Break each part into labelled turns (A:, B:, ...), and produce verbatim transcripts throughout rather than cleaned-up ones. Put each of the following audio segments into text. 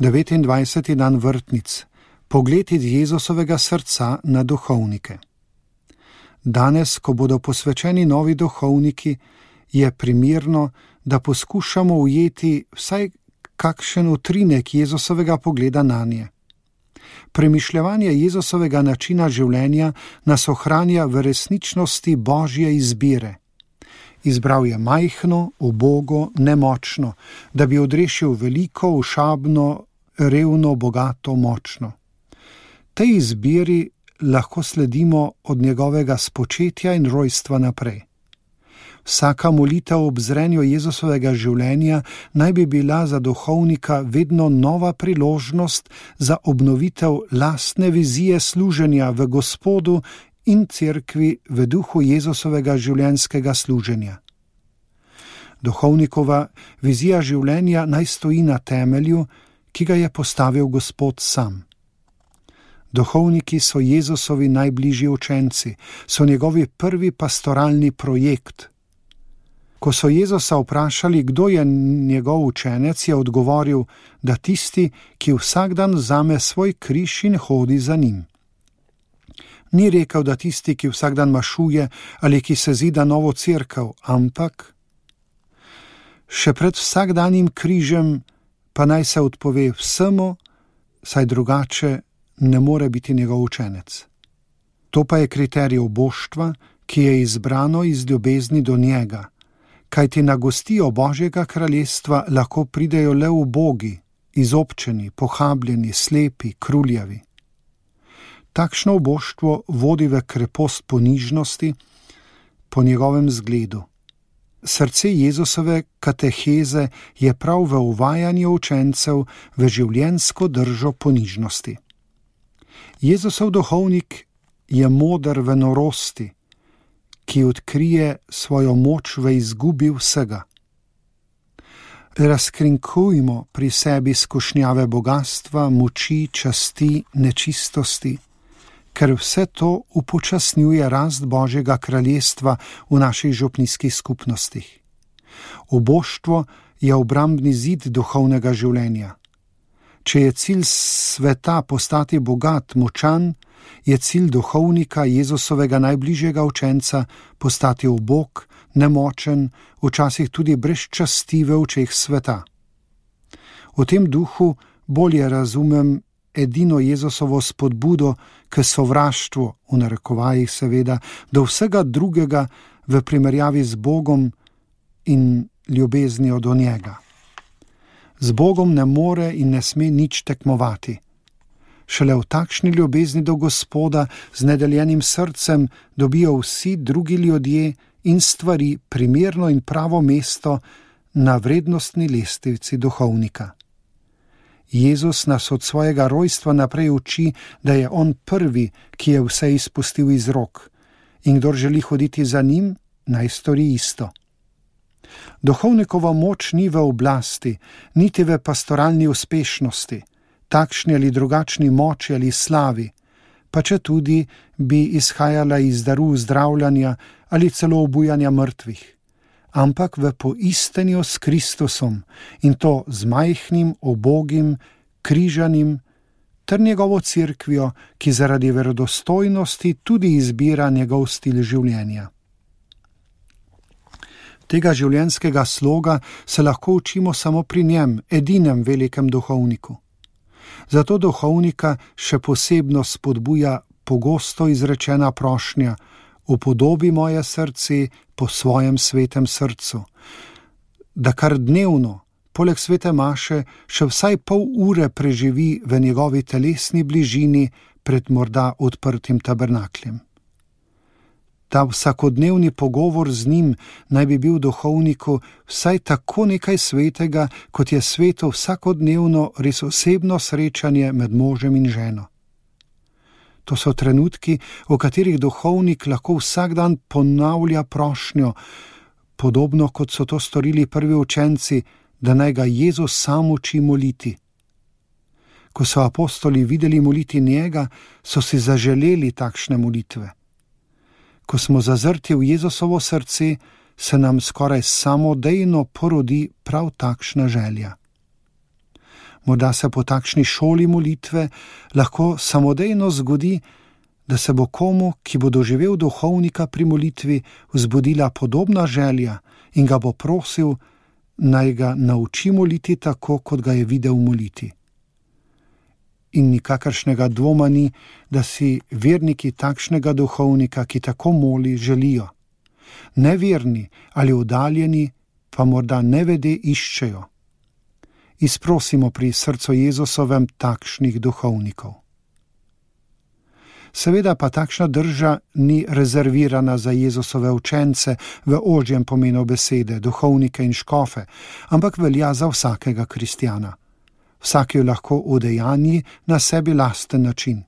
A: devetindvajseti dan vrtnic. Pogled iz Jezusovega srca na duhovnike. Danes, ko bodo posvečeni novi duhovniki, je primerno, da poskušamo ujeti vsaj kakšen utrinek Jezusovega pogleda nanje. Premišljevanje Jezusovega načina življenja nas ohranja v resničnosti Božje izbire. Izbral je majhno, ubogo, nemočno, da bi odrešil veliko, ošabno, revno, bogato, močno. Tej izbiri lahko sledimo od njegovega spočetja in rojstva naprej. Vsaka molitev ob zrenju Jezusovega življenja naj bi bila za duhovnika vedno nova priložnost za obnovitev lastne vizije služenja v Gospodu in cerkvi v duhu Jezusovega življenjskega služenja. Duhovnikova vizija življenja naj stoji na temelju, ki ga je postavil Gospod sam. Duhovniki so Jezusovi najbližji učenci, so njegovi prvi pastoralni projekt. Ko so Jezusa vprašali, kdo je njegov učenec, je odgovoril, da tisti, ki vsak dan vzame svoj križ in hodi za njim. Ni rekel, da tisti, ki vsak dan mašuje ali ki se zida novo cerkev, ampak še pred vsakdanjim križem pa naj se odpove vsemu, saj drugače ne more biti njegov učenec. To pa je kriterij oboštva, ki je izbrano iz ljubezni do njega, kajti na gostijo Božjega kraljestva lahko pridejo le ubogi, izobčeni, pohabljeni, slepi, kruljavi. Takšno oboštvo vodi v krepost ponižnosti po njegovem zgledu. Srce Jezusove kateheze je prav v uvajanju učencev v življenjsko držo ponižnosti. Jezusov duhovnik je moder v norosti, ki odkrije svojo moč v izgubi vsega. Razkrinkujmo pri sebi skušnjave bogatstva, moči, časti, nečistosti, ker vse to upočasnjuje rast Božjega kraljestva v naših župnijskih skupnostih. Uboštvo je obrambni zid duhovnega življenja. Če je cilj sveta postati bogat, močan, je cilj duhovnika Jezusovega najbližjega učenca postati ubog, nemočen, včasih tudi brez časti v očeh sveta. V tem duhu bolje razumem edino Jezusovo spodbudo k sovraštvu, v narekovajih seveda, do vsega drugega v primerjavi z Bogom in ljubeznijo do njega. Z Bogom ne more in ne sme nič tekmovati. Šele v takšni ljubezni do Gospoda z nedeljenim srcem dobijo vsi drugi ljudje in stvari primerno in pravo mesto na vrednostni lestvici duhovnika. Jezus nas od svojega rojstva naprej uči, da je on prvi, ki je vse izpustil iz rok, in kdor želi hoditi za njim, naj stori isto. Duhovnikova moč ni v oblasti, niti v pastoralni uspešnosti, takšni ali drugačni moči ali slavi, pa če tudi bi izhajala iz daru zdravljanja ali celo obujanja mrtvih, ampak v poistenju s Kristusom, in to z majhnim, ubogim, križanim ter njegovo cerkvijo, ki zaradi verodostojnosti tudi izbira njegov stil življenja. Tega življenjskega sloga se lahko učimo samo pri njem, edinem velikem duhovniku. Zato duhovnika še posebno spodbuja pogosto izrečena prošnja: upodobi moje srce po svojem svetem srcu, da kar dnevno, poleg svete maše, še vsaj pol ure preživi v njegovi telesni bližini pred morda odprtim tabernakljem. Ta vsakodnevni pogovor z njim naj bi bil duhovniku vsaj tako nekaj svetega, kot je sveto vsakodnevno res osebno srečanje med možem in ženo. To so trenutki, v katerih duhovnik lahko vsak dan ponavlja prošnjo, podobno kot so to storili prvi učenci, da naj ga Jezus sam uči moliti. Ko so apostoli videli moliti njega, so si zaželeli takšne molitve. Ko smo zazrti v Jezusovo srce, se nam skoraj samodejno porodi prav takšna želja. Morda se po takšni šoli molitve lahko samodejno zgodi, da se bo komu, ki bo doživel duhovnika pri molitvi, vzbudila podobna želja in ga bo prosil, naj ga nauči moliti tako, kot ga je videl moliti. In nikakršnega dvoma ni, da si verniki takšnega duhovnika, ki tako moli, želijo. Neverni ali oddaljeni pa morda nevede iščejo. Izprosimo pri srcu Jezusovem takšnih duhovnikov. Seveda pa takšna drža ni rezervirana za Jezusove učence v ožjem pomenu besede, duhovnike in škofe, ampak velja za vsakega kristjana. Vsak jo lahko udejanji na sebi lasten način.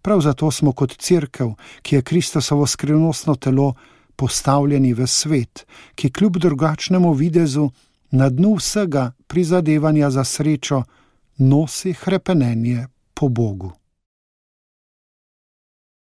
A: Prav zato smo kot cerkev, ki je Kristusovo skrivnostno telo, postavljeni v svet, ki kljub drugačnemu videzu na dnu vsega prizadevanja za srečo nosi hrepenenje po Bogu.